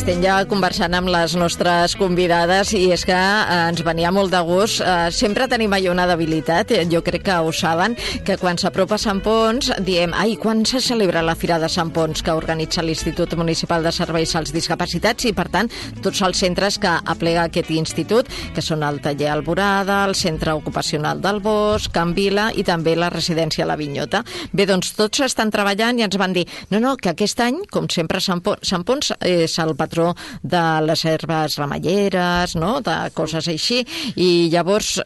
Estem ja conversant amb les nostres convidades i és que ens venia molt de gust. Sempre tenim allò una debilitat, jo crec que ho saben, que quan s'apropa Sant Ponç diem, quan se celebra la Fira de Sant Ponç que organitza l'Institut Municipal de Serveis als Discapacitats i, per tant, tots els centres que aplega aquest institut, que són el Taller Alborada, el Centre Ocupacional del Bosc, Can Vila i també la residència La Vinyota. Bé, doncs tots estan treballant i ens van dir, no, que aquest any, com sempre, Sant Ponç és el patró de les herbes remeieres, no?, de coses així, i llavors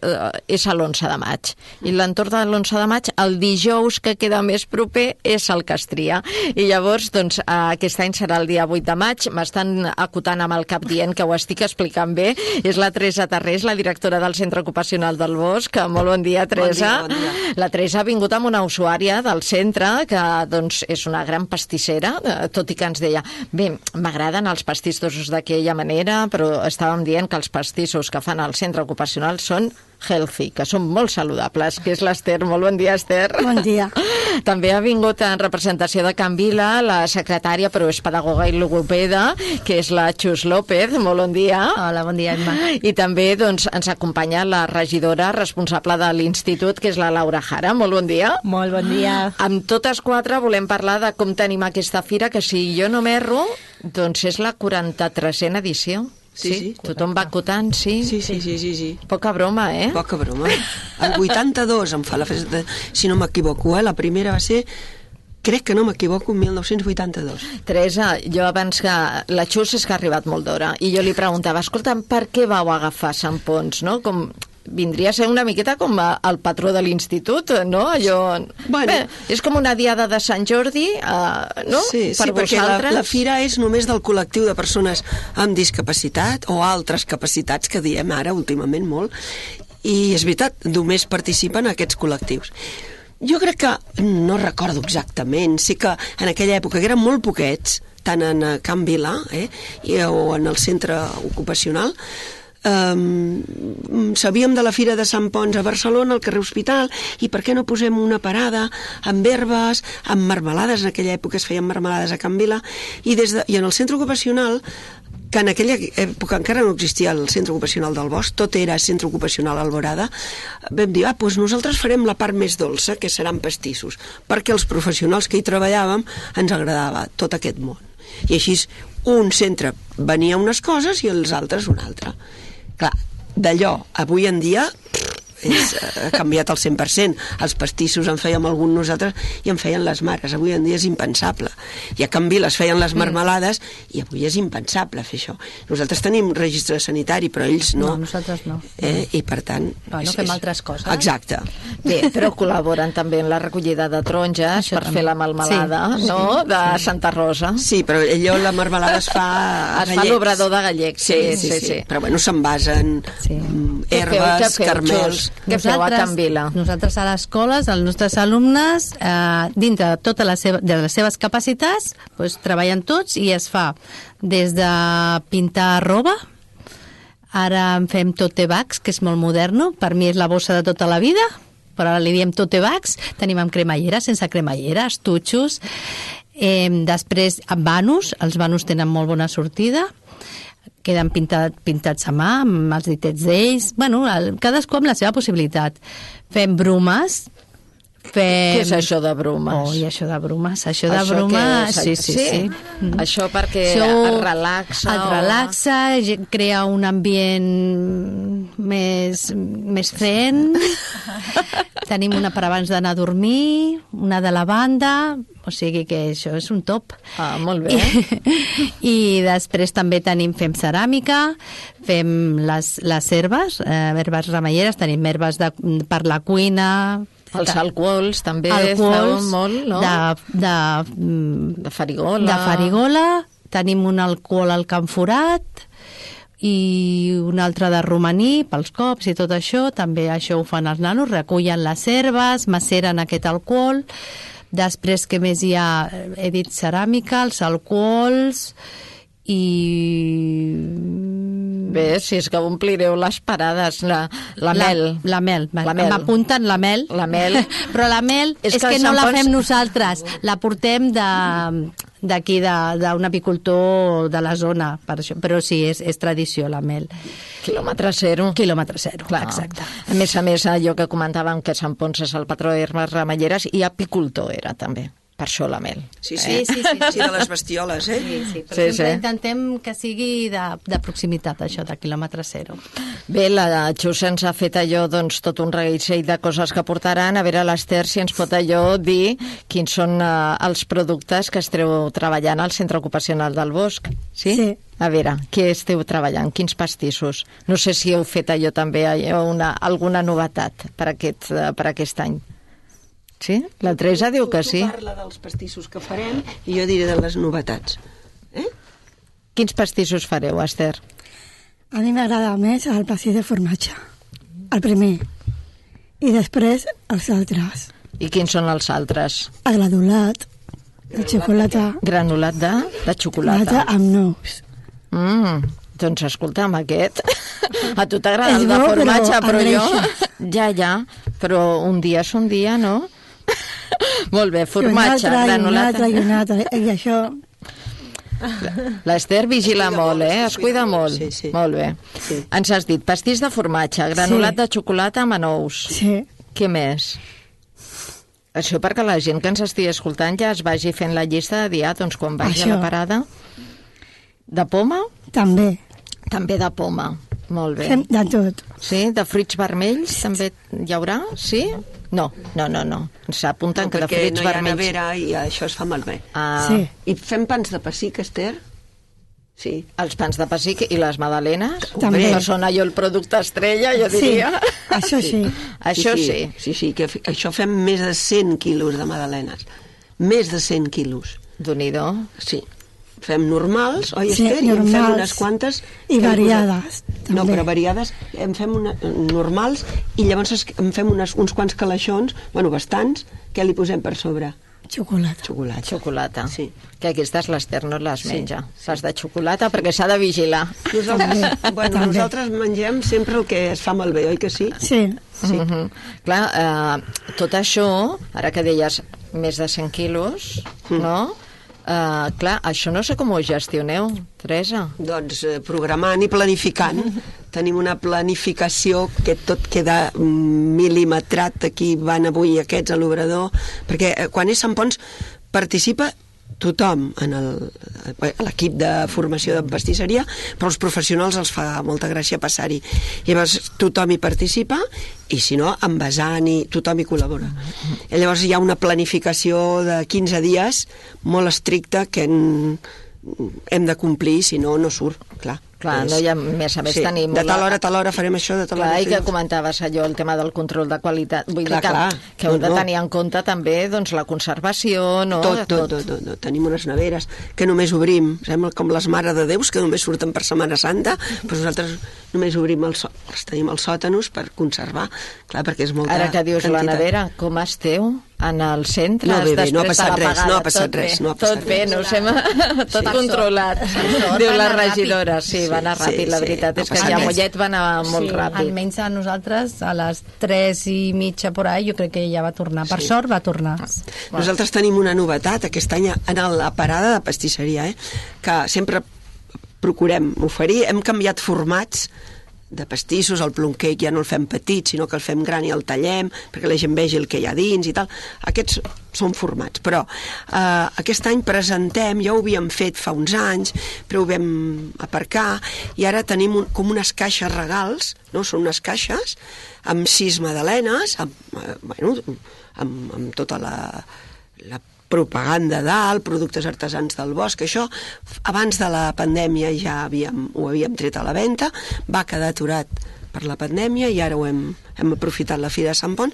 és a l'11 de maig. I l'entorn de l'11 de maig, el dijous que queda més proper és el Castria. I llavors, doncs, aquest any serà el dia 8 de maig. M'estan acotant amb el cap dient que ho estic explicant bé. És la Teresa Tarrés, la directora del Centre Ocupacional del Bosc. Molt bon dia, Teresa. Bon dia. La Teresa ha vingut amb una usuària del centre que, doncs, és una gran pastissera, tot i que ens deia, bé, m'agraden els pastissos d'aquella manera, però estàvem dient que els pastissos que fan al centre ocupacional són healthy, que són molt saludables, que és l'Ester. Molt bon dia, Ester. Bon dia. També ha vingut en representació de Can Vila la secretària, però és pedagoga i logopeda, que és la Xus López. Molt bon dia. Hola, bon dia, Emma. I també, doncs, ens acompanya la regidora responsable de l'institut, que és la Laura Jara. Molt bon dia. Molt bon dia. Amb totes quatre volem parlar de com tenim aquesta fira, que si jo no m'erro, doncs és la 43a edició. Sí. Tothom va acotant, sí? Sí. Poca broma, eh? Poca broma. El 82 em fa la festa, si no m'equivoco, la primera va ser, crec que no m'equivoco, 1982. Teresa, jo abans que la Xus és que ha arribat molt d'hora, i jo li preguntava, escolta'm, per què vau agafar Sant Ponç, no? Com vindria a ser una miqueta com el patró de l'institut, no? Allò... Bueno. Bé, és com una diada de Sant Jordi, no? Sí, per perquè vosaltres. la fira és només del col·lectiu de persones amb discapacitat o altres capacitats, que diem ara últimament molt, i és veritat, només participen aquests col·lectius. Jo crec que, no recordo exactament, sí que en aquella època, que eren molt poquets, tant en Can Vila o en el centre ocupacional, sabíem de la Fira de Sant Ponç a Barcelona, al carrer Hospital, i per què no posem una parada amb herbes, amb marmelades, en aquella època es feien marmelades a Can Vila, i en el centre ocupacional, que en aquella època encara no existia el centre ocupacional del Bosc, tot era centre ocupacional Alborada, vam dir, doncs nosaltres farem la part més dolça, que seran pastissos, perquè els professionals que hi treballàvem ens agradava tot aquest món. I així un centre venia unes coses i els altres una altra. Clar, d'allò, avui en dia ha canviat al 100%. Els pastissos en fèiem algun nosaltres i en feien les mares. Avui en dia és impensable. I a Can Vila es feien les marmelades i avui és impensable fer això. Nosaltres tenim registre sanitari, però ells no. No, nosaltres no. I per tant... No fem altres coses. Exacte. Bé, però col·laboren també en la recollida de taronges per fer la melmelada, no?, de Santa Rosa. Sí, però allò, la melmelada es fa a Gallecs. Es fa l'obrador de Gallecs, sí. Però bueno, s'envasen herbes, carmels... Què feu a Can Vila? Nosaltres a les escoles, els nostres alumnes, dintre de totes les seves capacitats, doncs, treballen tots i es fa des de pintar roba, ara en fem tote bags, que és molt moderno, per mi és la bossa de tota la vida, però ara li diem tote bags, tenim amb cremallera, sense cremallera, estuixos, després amb vanus, els vanus tenen molt bona sortida, queden pintats a mà, amb els ditets d'ells. Bueno, cadascú amb la seva possibilitat. Fem brumes. Què és això de brumes? Això de brumes. Això de brumes, sí. Això perquè et relaxa? Et relaxa, crea un ambient més zen. Tenim una per abans d'anar a dormir, una de la banda... O sigui que això és un top. Molt bé. I després també fem ceràmica, fem les herbes, herbes remeieres, tenim herbes per la cuina... Els alcohols també feu molt, no? De farigola. De farigola, tenim un alcohol al Canforat i un altre de romaní pels cops i tot això, també això ho fan els nanos, recullen les herbes, maceren aquest alcohol. Després, què més hi ha? He dit ceràmica, els alcohols i... Bé, si és que omplireu les parades, la mel. La mel. M'apunten la mel. La mel. Però la mel és que no la fem nosaltres, la portem d'aquí, d'un apicultor de la zona, per això. Però sí, és tradició, la mel. Quilòmetre zero. Quilòmetre zero, clar. Exacte. A més, allò que comentàvem, que Sant Ponç és el patró d'herbes ramelleres, i apicultor era, també. Per això la mel. Sí, de les bestioles, eh? Sí, però sempre intentem que sigui de proximitat, això, de quilòmetre zero. Bé, la Xus ens ha fet allò, doncs, tot un reguitzell de coses que portaran. A veure, l'Ester, si ens pot allò dir quins són els productes que esteu treballant al Centre Ocupacional del Bosc. Sí? Sí. A veure, què esteu treballant? Quins pastissos? No sé si heu fet allò també, alguna novetat per aquest any. Sí? La Teresa diu que sí. Tu parla dels pastissos que farem i jo diré de les novetats. Quins pastissos fareu, Esther? A mi m'agrada més el pastís de formatge, el primer, i després els altres. I quins són els altres? El granulat, de xocolata. Granulat de xocolata. Xocolata amb nous. Doncs escolta'm, aquest... A tu t'agrada el de formatge, però jo... Ja, però un dia és un dia, no? Molt bé, formatge, granulata... I un altre, i això... L'Ester vigila molt, es cuida molt. Sí. Molt bé. Sí. Ens has dit pastís de formatge, granulat de xocolata amb anous. Sí. Què més? Això perquè la gent que ens estigui escoltant ja es vagi fent la llista de dia, doncs quan vagi a la parada. De poma? També. També de poma. Molt bé. Fem de tot. Sí? De fruits vermells també hi haurà? Sí? No. Ens apunten que de fruits vermells... Perquè no hi ha nevera i això es fa malbé. Sí. I fem pans de pessic, Esther? Sí. Els pans de pessic i les magdalenes? També. Que són allò el producte estrella, jo diria. Això sí. Això sí. Sí, que això fem més de 100 quilos de magdalenes. Més de 100 quilos. Déu-n'hi-do. Sí. Fem normals, oi, Sí, Esther? I en fem normals. unes quantes... I variades, també. No, però variades. En fem normals i llavors en fem uns quants calaixons, bueno, bastants, que li posem per sobre? Xocolata. Xocolata. Sí. Que aquestes l'Ester no les menja. Les de xocolata, perquè s'ha de vigilar. Nosaltres mengem sempre el que es fa malbé, oi que sí? Sí. Clar, tot això, ara que deies més de 100 quilos, no? Clar, això no sé com ho gestioneu, Teresa. Doncs programant i planificant. Tenim una planificació que tot queda mil·limetrat. Aquí van avui aquests a l'obrador, perquè quan és Sant Ponç participa tothom en l'equip de formació de pastisseria, però els professionals els fa molta gràcia passar-hi. Llavors tothom hi participa i si no, envasant i tothom hi col·labora. I llavors hi ha una planificació de 15 dies molt estricta que hem de complir, si no, no surt, clar. Clar, no hi ha més a més tenim... De tal hora farem això, de tal hora... Clar, i que comentaves allò, el tema del control de qualitat. Vull dir que heu de tenir en compte també doncs, la conservació, no? Tot. Tenim unes neveres que només obrim, sembla com les Mare de Déus, que només surten per Setmana Santa, però nosaltres només obrim els tenim els sòtanos per conservar, clar, perquè és molta quantitat. Ara que dius la nevera, com esteu en el centre? No, bé, no ha passat res, Tot bé, no sé, tot controlat. Diu la regidora, sí, va anar ràpid, la veritat és que ja a Mollet va anar molt ràpid. Almenys a nosaltres, a les 3:30 por ahí, jo crec que ja va tornar. Per sort va tornar. Nosaltres tenim una novetat aquest any en la parada de pastisseria, que sempre procurem oferir. Hem canviat formats de pastissos, el plum cake ja no el fem petit, sinó que el fem gran i el tallem perquè la gent vegi el que hi ha dins i tal. Aquests són formats, però aquest any presentem, ja ho havíem fet fa uns anys, però ho vam aparcar i ara tenim com unes caixes regals, no? Són unes caixes amb 6 magdalenes, amb tota la propaganda dalt, productes artesans del bosc, això abans de la pandèmia ja ho havíem tret a la venda, va quedar aturat per la pandèmia i ara hem aprofitat la Fira de Sant Ponç,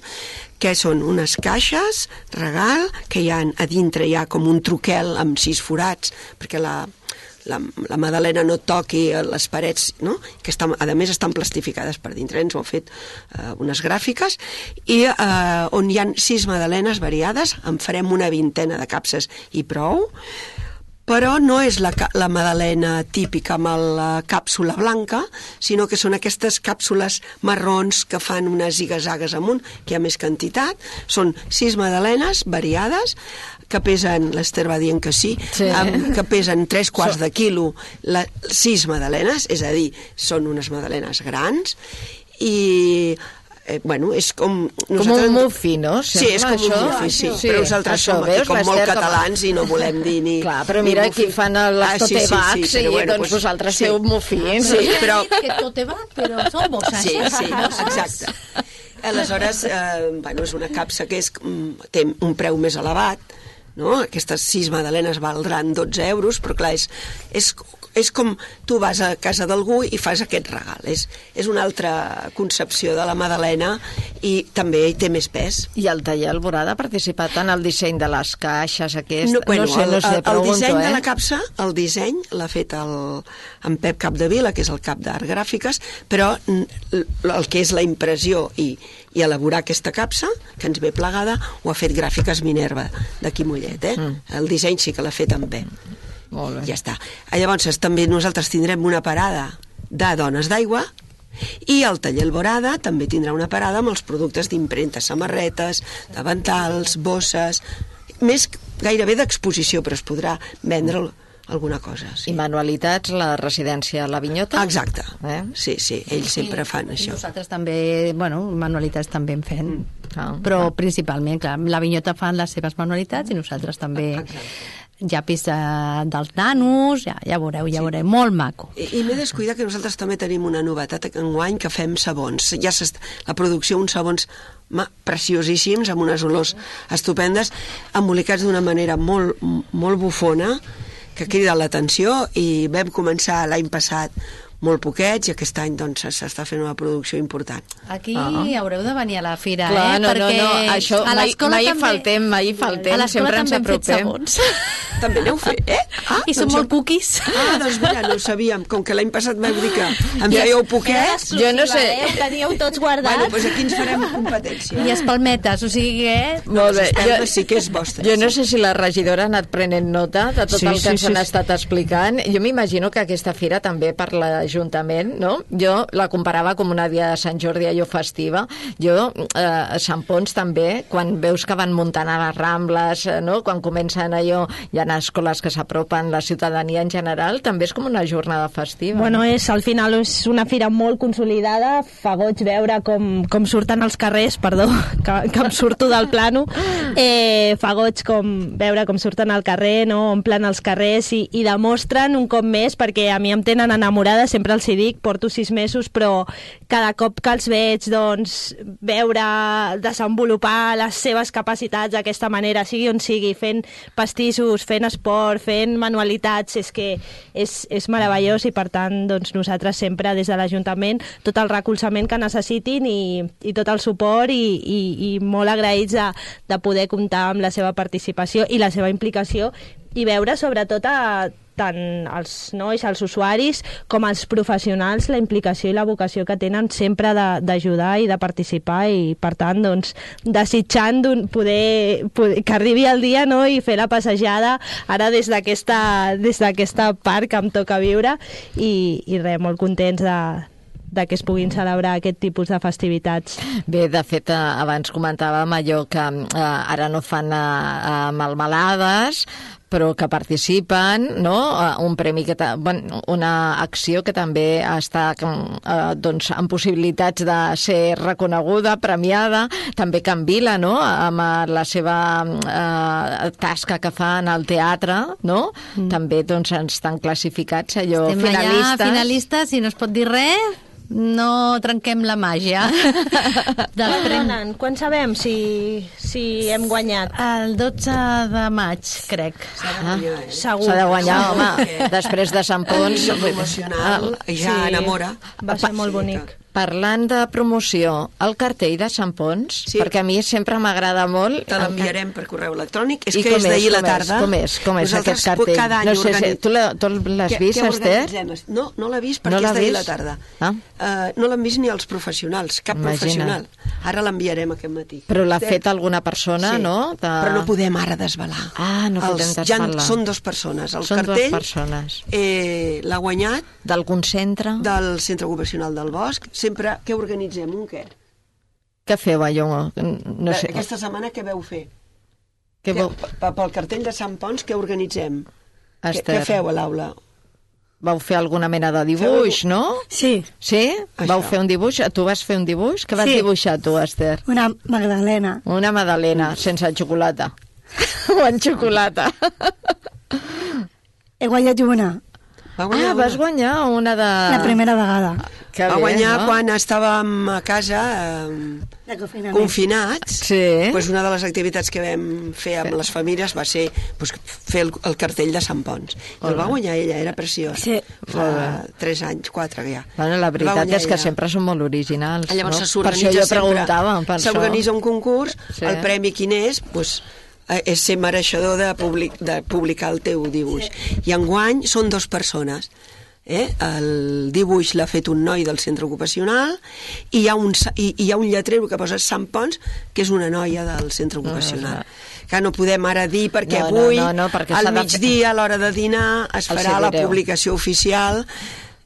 que són unes caixes regal, que a dintre hi ha com un troquel amb 6 forats, perquè la magdalena no toqui les parets, no? Que a més estan plastificades per dintre. Ens ho han fet unes gràfiques, i on hi ha 6 magdalenes variades, en farem una 20 de capses i prou, però no és la magdalena típica amb la càpsula blanca, sinó que són aquestes càpsules marrons que fan unes zigazagues amunt, que hi ha més quantitat. Són 6 magdalenes variades, que pesen, l'Ester va dient que sí, que pesen 3/4 de quilo, 6 magdalenes, és a dir, són unes magdalenes grans, i bueno, és com... Com un mufi, no? Sí, és com un mufi, sí. Però nosaltres som aquí com molt catalans i no volem dir ni... Clar, però mira, aquí fan les totebacs i doncs vosaltres feu mufins. Sí, però... Que totebac, però són bosses. Sí, exacte. Aleshores, bueno, és una capsa que té un preu més elevat, no? Aquestes 6 magdalenes valdran 12 euros, però clar, és com tu vas a casa d'algú i fas aquest regal. És una altra concepció de la magdalena i també hi té més pes. I el taller Alborada ha participat en el disseny de les caixes aquest? No sé, el disseny de la capsa, el disseny l'ha fet en Pep Capdevila, que és el cap d'Art Gràfiques, però el que és la impressió i elaborar aquesta capsa, que ens ve plegada, ho ha fet Gràfiques Minerva, d'aquí Mollet, El disseny sí que l'ha fet en Pep. Molt bé. Ja està. Llavors també nosaltres tindrem una parada de dones d'aigua, i el taller Alborada també tindrà una parada amb els productes d'impremta, samarretes, davantals, bosses, més gairebé d'exposició, però es podrà vendre alguna cosa. Sí. I manualitats, la residència La Vinyota? Exacte. Sí, ells sempre fan això. I nosaltres també, manualitats també en fem. Però principalment, clar, La Vinyota fan les seves manualitats i nosaltres també... llapis dels nanos, ja veureu, molt maco. I m'he descuidat que nosaltres també tenim una novetat enguany, que fem sabons. Ja la producció, uns sabons preciosíssims, amb unes olors estupendes, embolicats d'una manera molt, molt bufona, que crida l'atenció, i vam començar l'any passat molt poquets, i aquest any doncs s'està fent una producció important. Aquí haureu de venir a la fira, clar, perquè això a l'escola mai faltem, sempre ens apropem. També n'heu fet, I són molt cookies. Doncs mira, no ho sabíem, com que l'any passat vau dir que em fèieu poquets. Jo no sé. Ho teníeu tots guardats. Bueno, doncs aquí ens farem competència. I espalmetes, o sigui que... Molt bé, sí que és vostre. Jo no sé si la regidora ha anat prenent nota de tot el que ens han estat explicant. Jo m'imagino que aquesta fira també per l'Ajuntament, no? Jo la comparava com una dia de Sant Jordi allò festiva. Jo, a Sant Ponç també, quan veus que van muntant a les Rambles, no? Quan comencen allò, hi ha escoles que s'apropen, la ciutadania en general, també és com una jornada festiva. Bueno, al final és una fira molt consolidada, fa goig veure com surten els carrers, perdó, que em surto del plano, fa goig veure com surten al carrer, no? Omplen els carrers i demostren un cop més, perquè a mi em tenen enamorada, sempre els hi dic, porto 6 mesos, però cada cop que els veig, doncs, veure desenvolupar les seves capacitats d'aquesta manera, sigui on sigui, fent pastissos, fent esport, fent manualitats, és que és meravellós, i per tant doncs, nosaltres sempre des de l'Ajuntament tot el recolzament que necessitin i tot el suport i molt agraïts de poder comptar amb la seva participació i la seva implicació, i veure sobretot tant els nois, els usuaris, com els professionals, la implicació i la vocació que tenen sempre d'ajudar i de participar, i per tant, doncs, desitjant poder que arribi el dia, no?, i fer la passejada ara des d'aquesta part que em toca viure, i res, molt contents de que es puguin celebrar aquest tipus de festivitats. Bé, de fet, abans comentàvem allò que ara no fan melmelades, però que participen, no? Un premi una acció que també està doncs, amb possibilitats de ser reconeguda, premiada, també Can Vila, no? Amb la seva tasca que fan al teatre, no? També doncs, estan classificats allò finalistes. Estem allà finalistes i no es pot dir res. No trenquem la màgia. Quan sabem si hem guanyat? El 12 de maig, crec. Segur. S'ha de guanyar, home. Després de Sant Ponç. Emocional, ja enamora. Va ser molt bonic. parlant de promoció, el cartell de Sant Pons, Sí. perquè a mi sempre m'agrada molt... Te l'enviarem per correu electrònic. És I que com és d'ahir la tarda. Com és Nosaltres aquest cartell? cada any No sé si tu l'has vist, Esther? No, no l'ha vist No perquè l'ha és d'ahir vist? la tarda. Ah. No l'han vist ni els professionals, cap Imagina't. professional. Ara l'enviarem aquest matí. Però l'ha Esther, fet alguna persona, sí, no? Però no podem ara desvelar. Ah, no podem desvelar. Són dues persones. El Són dues cartell persones. L'ha guanyat D'algun centre? del Centre Ocupacional del Bosc. Sempre, què organitzem? Un què? Què feu, allò? No sé. Aquesta setmana què veu fer? Què veu? Pel cartell de Sant Pons, què organitzem? Esther. Què feu a l'aula? Vau fer alguna mena de dibuix, no? Sí, Sí? Això. Vau fer un dibuix? Tu vas fer un dibuix? Què vas Sí. dibuixar, tu, Esther? una Magdalena. Una magdalena, sense xocolata. O en xocolata. He guanyat una, Vas guanyar una de... la primera vegada. Que Va bé, guanyar no? quan estàvem a casa De confinament. confinats. Sí. Pues una de les activitats que vam fer amb les famílies va ser pues, fer el cartell de Sant Pons. I el va guanyar ella, era preciós. Sí. Fa 3 anys, 4 ja. Bueno, la El va veritat guanyar és que ella. sempre són molt originals. Llavors no? Per s'organitza això jo sempre, preguntava. Per això. s'organitza un concurs, Sí. el premi quin és, pues, és ser mereixedor de publicar el teu dibuix. I enguany són 2 persones. El dibuix l'ha fet un noi del centre ocupacional i hi ha un lletrero que posa Sant Pons, que és una noia del centre ocupacional. Que no podem ara dir perquè No, avui, perquè al s'ha de migdia, a l'hora de dinar, es Els farà la direu. publicació oficial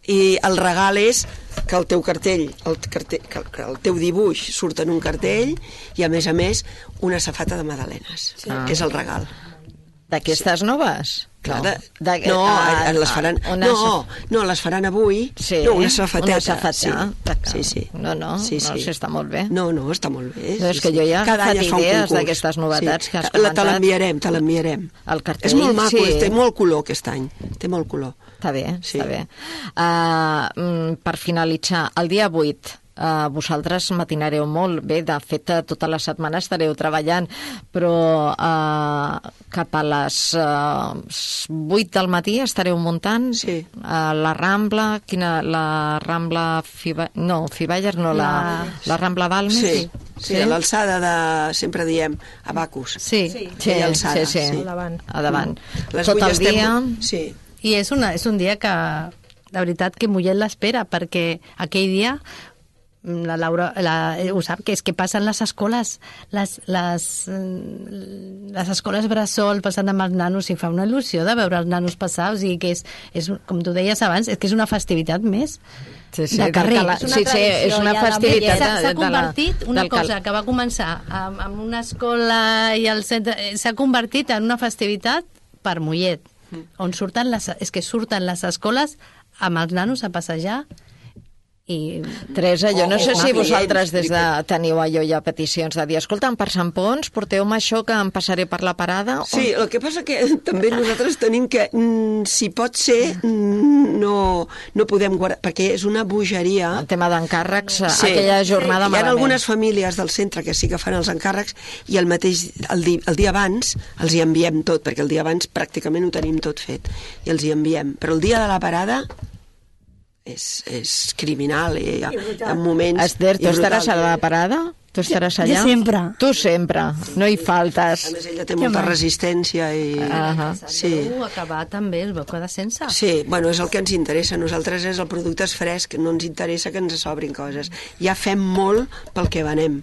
i el regal és que el teu cartell, que el teu dibuix surt en un cartell i a més una safata de magdalenes, que és el regal. D'aquestes noves? Clar, No. les faran... No, les faran avui. Sí, No, una safateta. Una safata. Sí. No, sí. està molt bé. No, està molt bé. No, és que jo ja he Cada any agafat es fa un idees concurs. d'aquestes novetats que has Te comentat. l'enviarem. El cartell, És molt maco, sí. té molt color aquest any. Té molt color. Està bé, Sí. està bé. Per finalitzar, el dia 8, vosaltres matinareu molt bé, de fet tota la setmana estareu treballant, però cap a les 8 del matí estareu muntant la Rambla, la Rambla Fiballes, no, la Rambla Balmes? Sí, a l'alçada de, sempre diem, Abacus. Sí. Sí, alçada, sí. A davant. Les Tot 8 el dia... Sí. I és un dia que, de veritat, que Mollet l'espera, perquè aquell dia la Laura ho sap, que és que passen les escoles les escoles bressol passant amb els nanos i fa una il·lusió de veure els nanos passar, o sigui que és com tu deies abans, és que és una festivitat més de carrer. És una festivitat s'ha convertit una cosa que va començar amb una escola i al centre, s'ha convertit en una festivitat per Mollet, on surten les escoles amb els nanos a passejar. I... Teresa, jo no sé si vosaltres des de teniu allò ja peticions de dir, escolta'm, per Sant Pons porteu-me això que em passaré per la parada? Sí, el que passa que també nosaltres tenim que, si pot ser, no podem guardar, perquè és una bogeria. El tema d'encàrrecs, aquella jornada malament. Hi ha algunes famílies del centre que sí que fan els encàrrecs i el dia abans els hi enviem tot, perquè el dia abans pràcticament ho tenim tot fet i els hi enviem. Però el dia de la parada és criminal i en moments... Esther, tu estaràs a la parada? Tu estaràs allà? Jo sempre. Tu sempre, no hi faltes. A més, ella té molta resistència i... Sí. Acabar també el veu quedar sense. Sí, bueno, és el que ens interessa. Nosaltres és el producte és fresc, no ens interessa que ens sobrin coses. Ja fem molt pel que venem.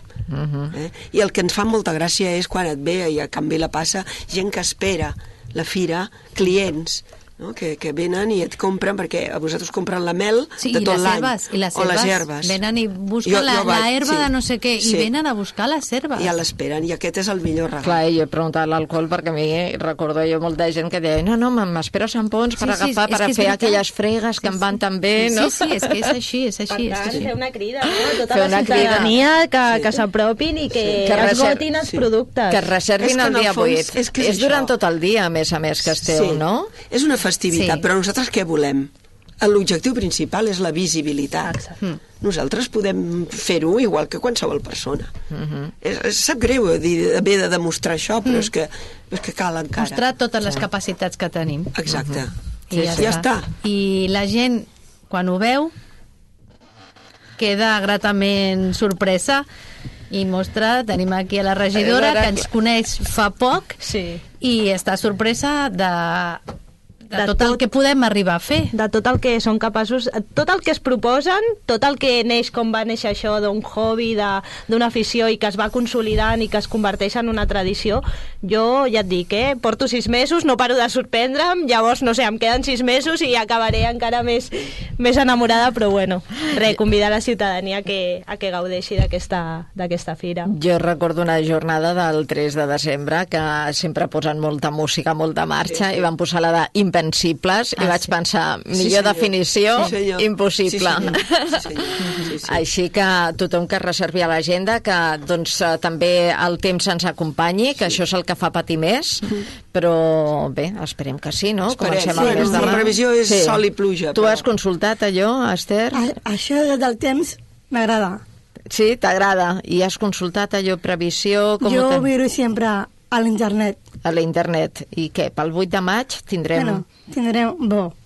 I el que ens fa molta gràcia és quan et ve i a Can Vila passa gent que espera la fira, clients, no? que venen i et compren, perquè a vosaltres compren la mel de tot l'any. I les herbes. Venen i busquen la herba de no sé què, i venen a buscar les herbes. Ja l'esperen, i aquest és el millor regal. Clar, jo he preguntat l'alcohol perquè a mi recordo jo molta gent que deia no, m'espero a Sant Pons per agafar, per fer aquelles fregues que em van tan bé, no? Sí, és que és així. Per tant, fer una crida, no? Tota la ciutadania que s'apropin i que esgotin els productes. Que es reservin el dia 8. És durant tot el dia, a més que esteu, no? És una festivitat, però nosaltres què volem? L'objectiu principal és la visibilitat. Nosaltres podem fer-ho igual que qualsevol persona. Sap greu haver de demostrar això, però és que cal encara. Mostrar totes les capacitats que tenim. Exacte. I ja està. I la gent, quan ho veu, queda gratament sorpresa i mostra, tenim aquí a la regidora que ens coneix fa poc i està sorpresa de tot el que podem arribar a fer. De tot el que són capaços, tot el que es proposen, tot el que neix com va néixer això d'un hobby, d'una afició i que es va consolidant i que es converteix en una tradició. Jo ja et dic, porto 6 mesos, no paro de sorprendre'm, llavors, no sé, em queden 6 mesos i acabaré encara més enamorada, però bueno, convidar la ciutadania a que gaudeixi d'aquesta fira. Jo recordo una jornada del 3 de desembre que sempre posen molta música, molta marxa, i van posar la de Invencibles, i vaig pensar, millor definició, impossible. Sí. Així que tothom que reservi a l'agenda, que doncs també el temps ens acompanyi, que això és el que fa patir més, però bé, esperem que sí, no? Comencem el mes de la previsió és sol i pluja. Tu has consultat allò, Esther? Això del temps m'agrada. Sí, t'agrada. I has consultat allò, previsió? Jo ho miro sempre a l'internet. A l'internet. I què, pel 8 de maig tindrem... Bueno, tindrem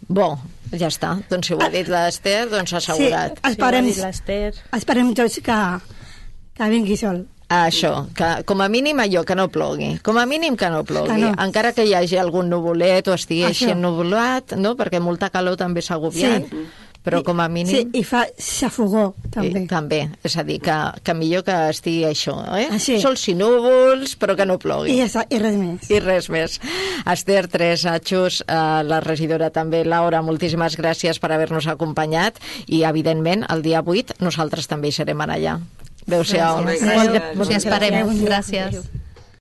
bo. Ja està. Doncs si ho ha dit l'Esther, doncs assegurat. Sí, esperem tots que vingui sol. Això, que com a mínim allò, que no plogui. Com a mínim que no plogui. No. Encara que hi hagi algun nuvolet o estigui així ennuvolat, no? Perquè molta calor també és agobiant. Sí. Però com a mínim... Sí, i fa xafogó, també. També, és a dir, que millor que estigui això, Sols i núvols, però que no plogui. I res més. I res més. Esther, Teresa, Xus, la regidora també, Laura, moltíssimes gràcies per haver-nos acompanyat i, evidentment, el dia 8 nosaltres també hi serem allà. Adéu-siau. Gràcies. Esperem. Gràcies.